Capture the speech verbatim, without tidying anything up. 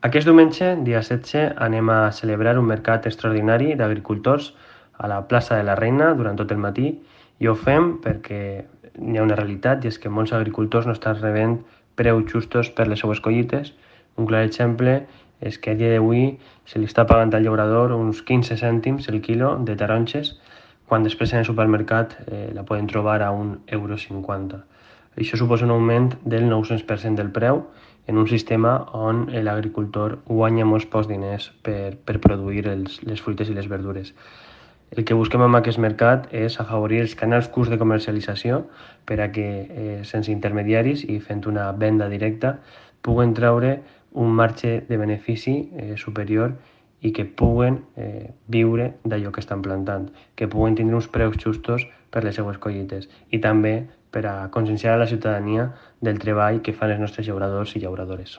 Aquest diumenge, dia setze, anem a celebrar un mercat extraordinari d'agricultors a la plaça de la Reina durant tot el matí i ho fem perquè hi ha una realitat i és que molts agricultors no estan rebent preus justos per les seues collites. Un clar exemple és que a dia d'avui se li està pagant al llaurador uns quinze cèntims el quilo de taronges, quan després en el supermercat eh, la poden trobar a un euro cinquanta. Això suposa un augment del nou-cents per cent del preu en un sistema on l'agricultor guanya molts pocs diners per, per produir els, les fruites i les verdures. El que busquem amb aquest mercat és afavorir els canals curts de comercialització per a que, eh, sense intermediaris i fent una venda directa, puguen treure un marge de benefici eh, superior i que puguen eh, viure d'allò que estan plantant, que puguen tindre uns preus justos per les seues collites i també per a conscienciar a la ciutadania del treball que fan els nostres llauradors i llauradores.